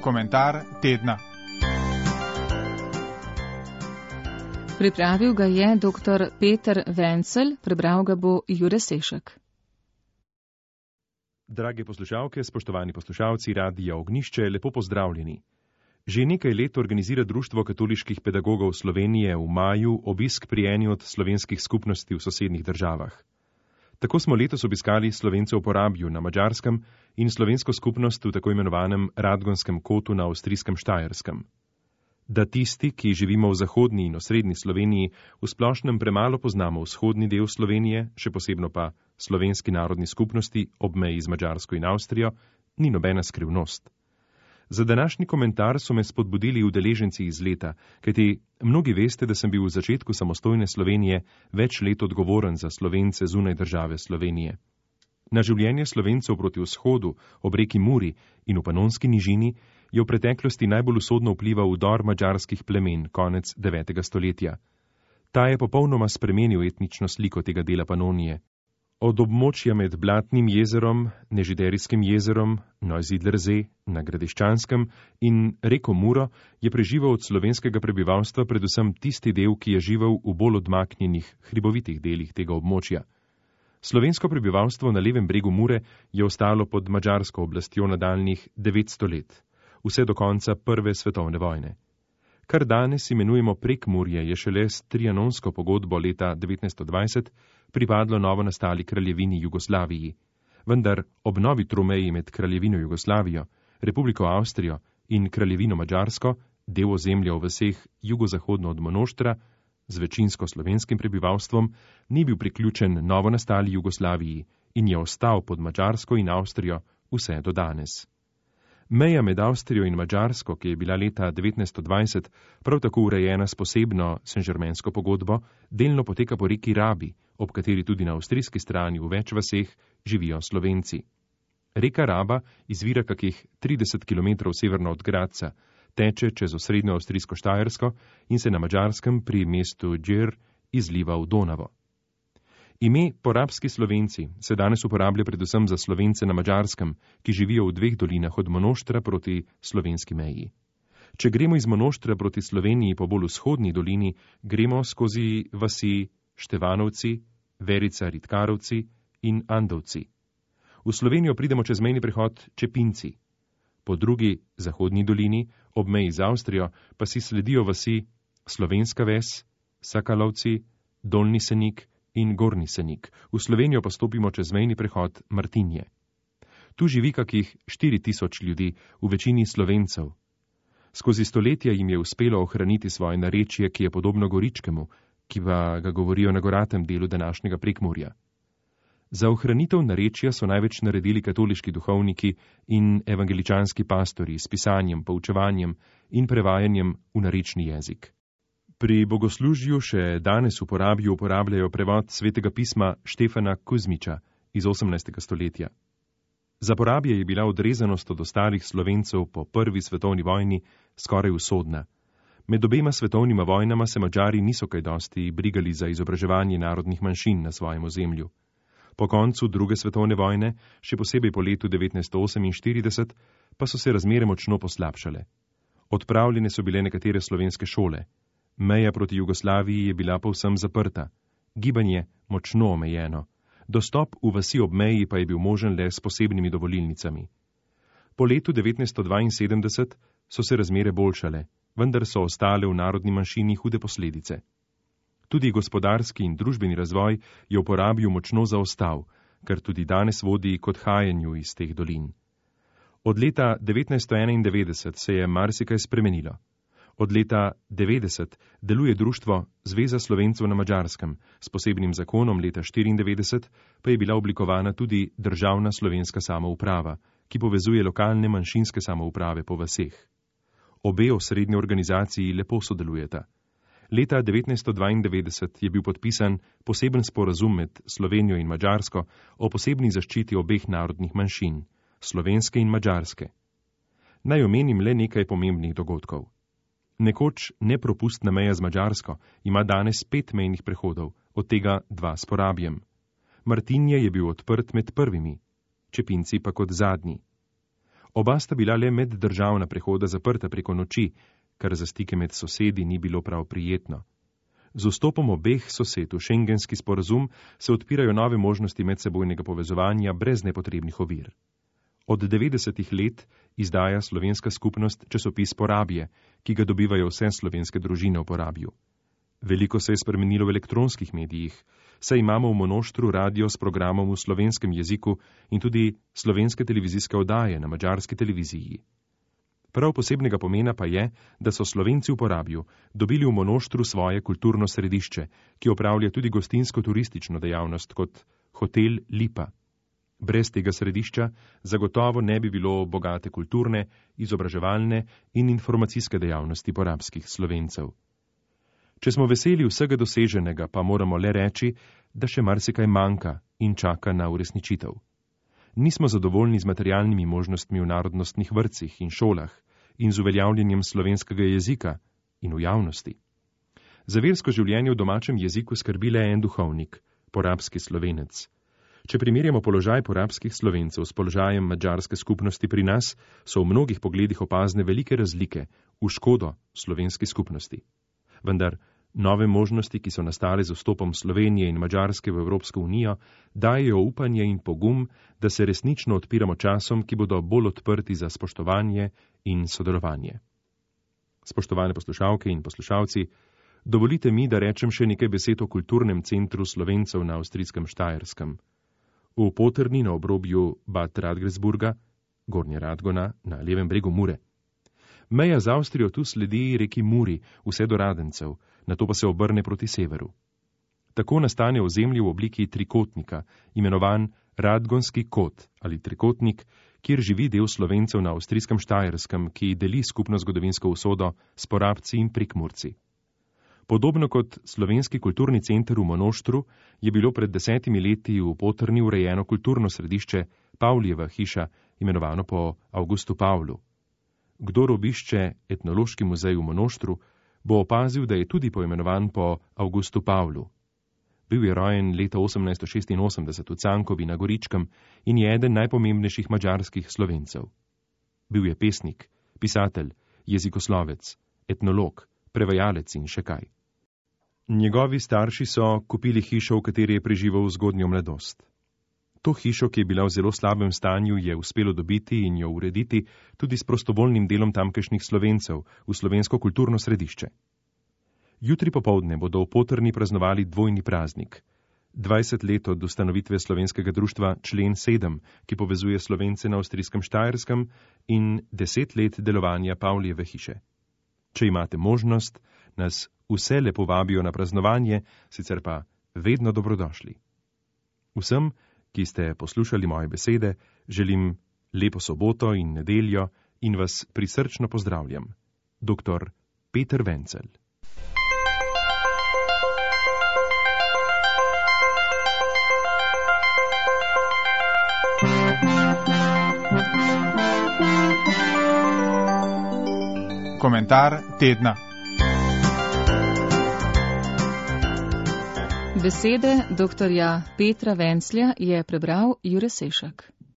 Komentar tedna. Pripravil ga je dr. Peter Vencel, prebral ga bo Jure Sešek. Drage poslušalke, spoštovani poslušalci Radia Ognjišče, lepo pozdravljeni. Že nekaj let organizira Društvo katoliških pedagogov Slovenije v maju obisk pri eni od slovenskih skupnosti v sosednjih državah. Tako smo letos obiskali Slovence v Porabju na Madžarskem in slovensko skupnost v tako imenovanem Radgonskem kotu na avstrijskem Štajerskem. Da tisti, ki živimo v zahodni in osrednji Sloveniji, v splošnem premalo poznamo vzhodni del Slovenije, še posebno pa slovenski narodni skupnosti ob meji z Madžarsko in Avstrijo, ni nobena skrivnost. Za današnji komentar so me spodbudili udeleženci iz leta, kajti mnogi veste, da sem bil v začetku samostojne Slovenije več let odgovoren za Slovence zunaj države Slovenije. Na življenje Slovencev proti vzhodu, ob reki Muri in v Panonski nižini, je v preteklosti najbolj usodno vplival vdor madžarskih plemen konec 9. stoletja. Ta je popolnoma spremenil etnično sliko tega dela Panonije. Od območja med Blatnim jezerom, Nežiderijskim jezerom, Neusiedlersee na Gradiščanskem in reko Muro je preživel od slovenskega prebivalstva predvsem tisti del, ki je živel v bolj odmaknjenih, hribovitih delih tega območja. Slovensko prebivalstvo na levem bregu Mure je ostalo pod madžarsko oblastjo nadaljnjih 900 let, vse do konca Prve svetovne vojne. Kar danes imenujemo Prekmurje, je šele s Trianonsko pogodbo leta 1920 pripadlo novo nastali kraljevini Jugoslaviji. Vendar ob novi tromeji med kraljevino Jugoslavijo, Republiko Avstrijo in kraljevino Madžarsko, del ozemlja v vseh jugozahodno od Monoštra, z večinsko slovenskim prebivalstvom, ni bil priključen novo nastali Jugoslaviji in je ostal pod Madžarsko in Avstrijo vse do danes. Meja med Avstrijo in Madžarsko, ki je bila leta 1920 prav tako urejena s posebno Saint-Germainsko pogodbo, delno poteka po reki Rabi, ob kateri tudi na avstrijski strani v več vaseh živijo Slovenci. Reka Raba izvira kakih 30 km severno od Gradca, teče čez osrednjo avstrijsko Štajersko in se na Madžarskem pri mestu Džer izliva v Donavo. Ime porabski Slovenci se danes uporablja predvsem za Slovence na Madžarskem, ki živijo v dveh dolinah od Monoštra proti slovenski meji. Če gremo iz Monoštra proti Sloveniji po bolj vzhodni dolini, gremo skozi vasi Števanovci, Verica Ritkarovci in Andovci. V Slovenijo pridemo čez mejni prehod Čepinci. Po drugi zahodni dolini, ob meji z Avstrijo, pa si sledijo vasi Slovenska ves, Sakalovci, Dolni Senik in Gornji Senik. V Slovenijo pa stopimo čez mejni prehod Martinje. Tu živi kakih 4000 ljudi, v večini Slovencev. Skozi stoletja jim je uspelo ohraniti svoje narečje, ki je podobno goričkemu, ki pa ga govorijo na goratem delu današnjega Prekmurja. Za ohranitev narečja so največ naredili katoliški duhovniki in evangeličanski pastori s pisanjem, poučevanjem in prevajanjem v narečni jezik. Pri bogoslužju še danes v Porabju uporabljajo prevod svetega pisma Štefana Kuzmiča iz 18. stoletja. Za Porabje je bila odrezanost od ostalih Slovencev po prvi svetovni vojni skoraj usodna. Med obema svetovnima vojnama se Madžari niso kaj dosti brigali za izobraževanje narodnih manjšin na svojem ozemlju. Po koncu druge svetovne vojne, še posebej po letu 1948, pa so se razmere močno poslabšale. Odpravljene so bile nekatere slovenske šole. Meja proti Jugoslaviji je bila povsem zaprta, gibanje močno omejeno, dostop v vasi ob meji pa je bil možen le s posebnimi dovolilnicami. Po letu 1972 so se razmere boljšale, vendar so ostale v narodni manjšini hude posledice. Tudi gospodarski in družbeni razvoj je v Porabju močno zaostal, kar tudi danes vodi k odhajanju iz teh dolin. Od leta 1991 se je marsikaj spremenilo. Od leta 90 deluje društvo Zveza Slovencev na Madžarskem, s posebnim zakonom leta 1994 pa je bila oblikovana tudi državna slovenska samouprava, ki povezuje lokalne manjšinske samouprave po vaseh. Obe osrednje organizaciji lepo sodelujeta. Leta 1992 je bil podpisan poseben sporazum med Slovenijo in Madžarsko o posebni zaščiti obeh narodnih manjšin, slovenske in madžarske. Naj omenim le nekaj pomembnih dogodkov. Nekoč nepropustna meja z Madžarsko ima danes 5 mejnih prehodov, od tega 2 s Porabjem. Martinje je bil odprt med prvimi, Čepinci pa kot zadnji. Oba sta bila le meddržavna prehoda zaprta preko noči, kar za stike med sosedi ni bilo prav prijetno. Z vstopom obeh sosed v šengenski sporazum se odpirajo nove možnosti medsebojnega povezovanja brez nepotrebnih ovir. Od 90-ih let izdaja slovenska skupnost časopis Porabje, ki ga dobivajo vse slovenske družine v Porabju. Veliko se je spremenilo v elektronskih medijih, saj imamo v Monoštru radio s programom v slovenskem jeziku in tudi slovenske televizijske oddaje na madžarski televiziji. Prav posebnega pomena pa je, da so Slovenci v Porabju dobili v Monoštru svoje kulturno središče, ki opravlja tudi gostinsko-turistično dejavnost kot hotel Lipa. Brez tega središča zagotovo ne bi bilo bogate kulturne, izobraževalne in informacijske dejavnosti porabskih Slovencev. Če smo veseli vsega doseženega, pa moramo le reči, da še marsikaj manjka in čaka na uresničitev. Nismo zadovoljni z materialnimi možnostmi v narodnostnih vrtcih in šolah in z uveljavljanjem slovenskega jezika in v javnosti. Za versko življenje v domačem jeziku skrbi le en duhovnik, porabski Slovenec. Če primerjamo položaj porabskih Slovencev s položajem madžarske skupnosti pri nas, so v mnogih pogledih opazne velike razlike v škodo slovenski skupnosti. Vendar nove možnosti, ki so nastale z vstopom Slovenije in Madžarske v Evropsko unijo, dajejo upanje in pogum, da se resnično odpiramo časom, ki bodo bolj odprti za spoštovanje in sodelovanje. Spoštovane poslušalke in poslušalci, dovolite mi, da rečem še nekaj besed o kulturnem centru Slovencev na avstrijskem Štajerskem. V Potrni na obrobju Bad Radgresburga, Gornje Radgona, na levem bregu Mure. Meja z Avstrijo tu sledi reki Muri, vse do Radencev, nato pa se obrne proti severu. Tako nastane ozemlje v obliki trikotnika, imenovan Radgonski kot ali trikotnik, kjer živi del Slovencev na avstrijskem Štajerskem, ki deli skupno zgodovinsko usodo s Porabci in Prekmurci. Podobno kot slovenski kulturni center v Monoštru je bilo pred 10 leti v Potrni urejeno kulturno središče Pavlijeva hiša, imenovano po Avgustu Pavlu. Kdor obišče etnološki muzej v Monoštru, bo opazil, da je tudi poimenovan po Avgustu Pavlu. Bil je rojen leta 1886 v Cankovi na Goričkem in je eden najpomembnejših madžarskih Slovencev. Bil je pesnik, pisatelj, jezikoslovec, etnolog, prevajalec in še kaj. Njegovi starši so kupili hišo, v kateri je preživel zgodnjo mladost. To hišo, ki je bila v zelo slabem stanju, je uspelo dobiti in jo urediti tudi s prostovoljnim delom tamkajšnjih Slovencev v slovensko kulturno središče. Jutri popoldne bodo v Potrni praznovali dvojni praznik. 20 let od ustanovitve slovenskega društva Člen 7, ki povezuje Slovence na avstrijskem Štajerskem, in 10 let delovanja Pavlijeve hiše. Če imate možnost, nas vse lepo vabijo na praznovanje, sicer pa vedno dobrodošli. Vsem, ki ste poslušali moje besede, želim lepo soboto in nedeljo in vas prisrčno pozdravljam. Dr. Peter Wenzel. Komentar tedna. Besede dr. Petra Venclja je prebral Jure Sešak.